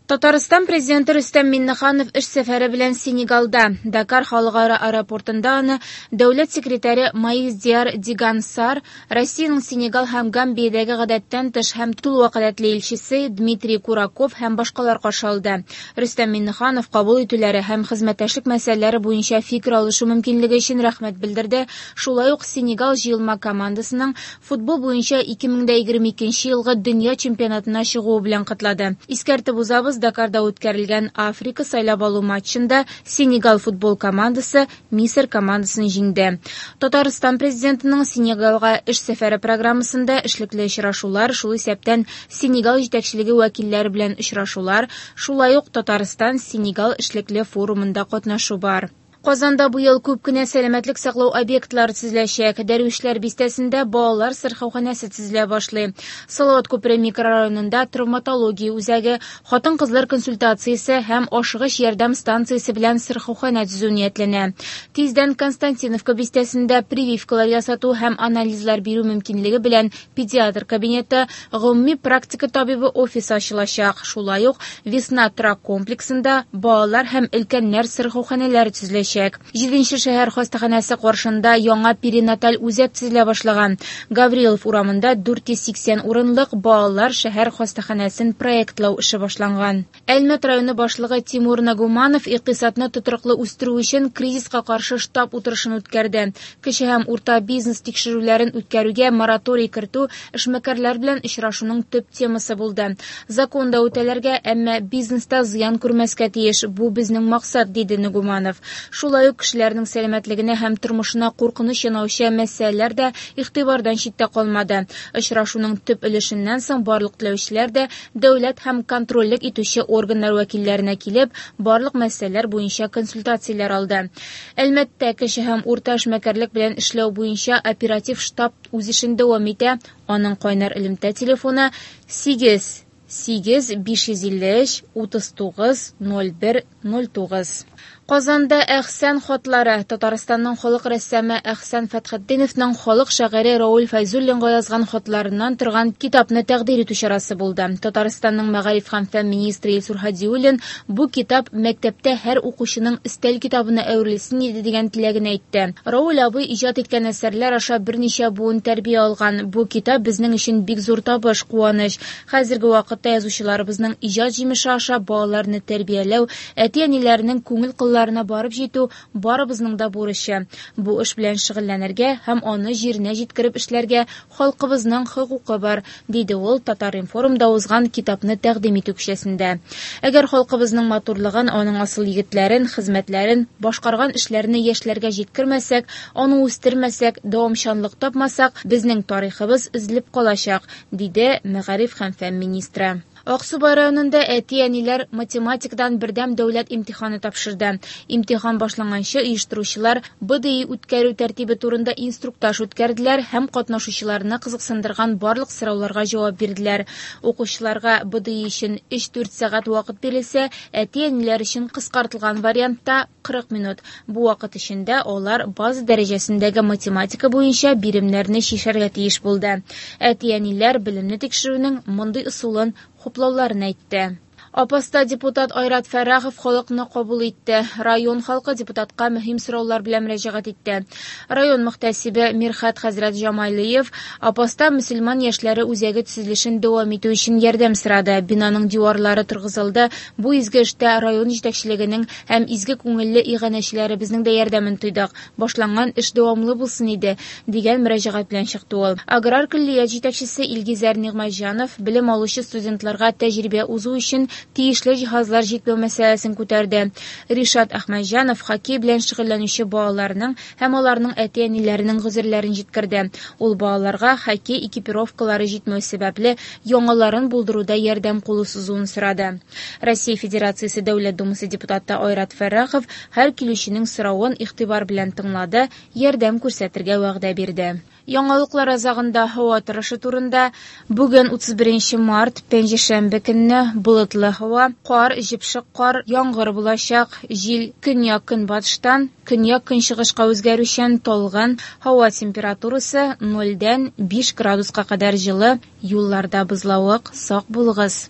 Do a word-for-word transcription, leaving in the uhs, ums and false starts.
Татарстан Президенты Рөстәм Миңнеханов эш сәфәре белән Сенегалда. Дакар халыкара аэропортында аны дәүләт секретаре Маис Диар Диган Сар, Россиянең Сенегал һәм Гамбиядәге гадәттән тыш һәм тулы вәкаләтле илчесе Дмитрий Кураков һәм башкалар каршы алды. Рөстәм Миңнеханов кабул итүләре һәм хезмәттәшлек мәсьәләләре буенча фикер алышу мөмкинлеге өчен рәхмәт белдерде. Шулай ук Сенегал җыелма командасының футбол буенча ике мең дә егерме икенче елгы дөнья чемпионатына чыгуы белән котлады. Искәртеп узабыз, Дакарда үткәрелгән Африка сайлап алу матчында Сенегал футбол командасы Мисыр командасын җиңде. Татарстан президентының Сенегалга эш сәфәре программасында эшлекле очрашулар, шул исәптән Сенегал җитәкчелеге вәкилләре белән очрашулар, шулай ук Татарстан Сенегал эшлекле форумында катнашу бар. Казанда быел күп кенә сәламәтлек саклау объектлары төзеләчәк. Дәрвишләр бистәсендә балалар сырхауханәсе төзелә башлый. Салават күпере микрорайонында травматология үзәге, хатын-кызлар консультациясе һәм ашыгыч ярдәм станциясе белән сырхауханә төзү ниятләнә. Тиздән Константиновка бистәсендә прививкалар ясату һәм анализлар бирү мөмкинлеге белән педиатр кабинеты, гомуми практика табибы офисы ачылачак. Шулай ук Весна торак комплексында балалар һәм өлкәннәр сырхауханәләре төзеләчәк. Җиденче шәһәр хастаханәсе каршында яңа перинаталь үзәк төзелә башлаган. Гаврилов урамында дүрт йөз сиксән урынлык балалар шәһәр хастаханәсен проектлау эше башланган. Әлмәт районы башлыгы Тимур Нагуманов икътисадны тотрыклы үстерү өчен кризиска каршы штаб утырышын үткәрде. Кече һәм урта бизнес тикшерүләрен үткәрүгә мораторий кертү эшмәкәрләр белән очрашуның төп темасы булды. Законда үтәләргә, әмма бизнеста зыян күрмәскә тиеш. Бу безнең максат, диде Нагуманов. Шулай ук кешеләрнең сәламәтлегенә һәм тормышына куркыныч янаучы мәсьәләләр дә игътибардан читтә калмады. Очрашуның төп өлешеннән соң барлык теләүчеләр дә дәүләт һәм контрольлек итүче органнар вәкилләренә килеп, барлык мәсьәләләр буенча консультацияләр алды. Әлмәттә кече һәм урта эшмәкәрлек белән эшләү буенча оператив штаб үз эшен дәвам итә. Аның кайнар элемтә телефоны сигез сигез биш йөз илле өч утыз тугыз ноль бер ноль тугыз. Казанда Әхсән хатлары. Татарстанның халык рәссамы Әхсән Фәтхетдиновның халык шагыйре Рауль Фәйзуллинга язган хатларыннан торган китапны тәкъдир итү чарасы булды. Татарстанның мәгариф һәм фән министры Илсур Һадиуллин бу китап мәктәптә һәр укучының өстәл китабына әверелсен иде дигән теләген әйтте. Рауль абый иҗат иткән әсәрләр аша берничә буын тәрбия алган. Бу китап безнең өчен бик зур табыш, куаныч. Хәзерге вакытта язучыларыбызның иҗат җимеше аша балаларны тәрбияләү, әти-әниләренең күңел кылларына барып җитү барыбызның да бурычы. Бу эш белән шөгыльләнергә һәм аны җиренә җиткереп эшләргә халкыбызның хокукы бар, диде ул Татар-информда узган китапны тәкъдим итү кичәсендә. Әгәр халкыбызның матурлыгын, аның асыл егетләрен, хезмәтләрен, башкарган эшләрне яшьләргә җиткермәсәк, аны үстермәсәк, дәвамчанлык тапмасак, безнең тарихыбыз өзелеп калачак, диде мәгариф һәм фән министры. Аксубай районында әти-әниләр математикадан бердәм дәүләт имтиханы тапшырды. Имтихан башланганчы оештыручылар Б Д И үткәрү тәртибе турында инструктаж үткәрделәр һәм катнашучыларны кызыксындырган барлык сорауларга җавап бирделәр. Укучыларга Б Д И өчен өч-дүрт сәгать вакыт бирелсә, әти-әниләр өчен кыскартылган вариантта кырык минут. Бу вакыт эчендә алар база дәрәҗәсендәге математика буенча биремнәрне чишәргә тиеш булды. Әти-әниләр белемне тикшерүнең мондый ысулын хуплауларын әйтте. Апаста депутат Айрат Фәррахов халыкны кабул итте. Район халкы депутатка мөһим сораулар белән мөрәҗәгать итте. Район мөхтәсибе Мирхәт хәзрәт Җамалиев Апаста мөселман яшьләре үзәге төзелешен дәвам итү өчен ярдәм сорады. Бинаның диварлары торгызылды. Бу изге эштә район җитәкчелегенең һәм изге күңелле иганәчеләребезнең дә ярдәмен тойдык. Башланган эш дәвамлы булсын иде, дигән мөрәҗәгать белән чыкты ул. Аграр көллият җитәкчесе Илгизәр Нигъмәтҗанов белем алучы студентларга тәҗрибә узу өчен тиешле җиһазлар җитмәү мәсьәләсен күтәрде. Ришат Әхмәтҗанов хоккей белән шөгыльләнүче балаларның һәм аларның әти-әниләренең гозерләрен җиткерде. Ул балаларга хоккей экипировкалары җитмәү сәбәпле яңаларын булдыруда ярдәм кулы сузуын сорады. Россия Федерациясе Дәүләт Думасы депутаты Айрат Фәррахов һәр килүченең соравын игътибар белән тыңлады, ярдәм күрсәтергә вәгъдә бирде. Яңалыклар азагында һава торышы турында. Бүген утыз беренче март, пәнҗешәмбе көнне болытлы һава, кар, җепшек кар, яңгыр булачак, җил көньяк-көнбатыштан көньяк-көнчыгышка үзгәрүчән талгын, һава температурасы нольдән биш градуска кадәр җылы, юлларда бозлавык, сак булыгыз.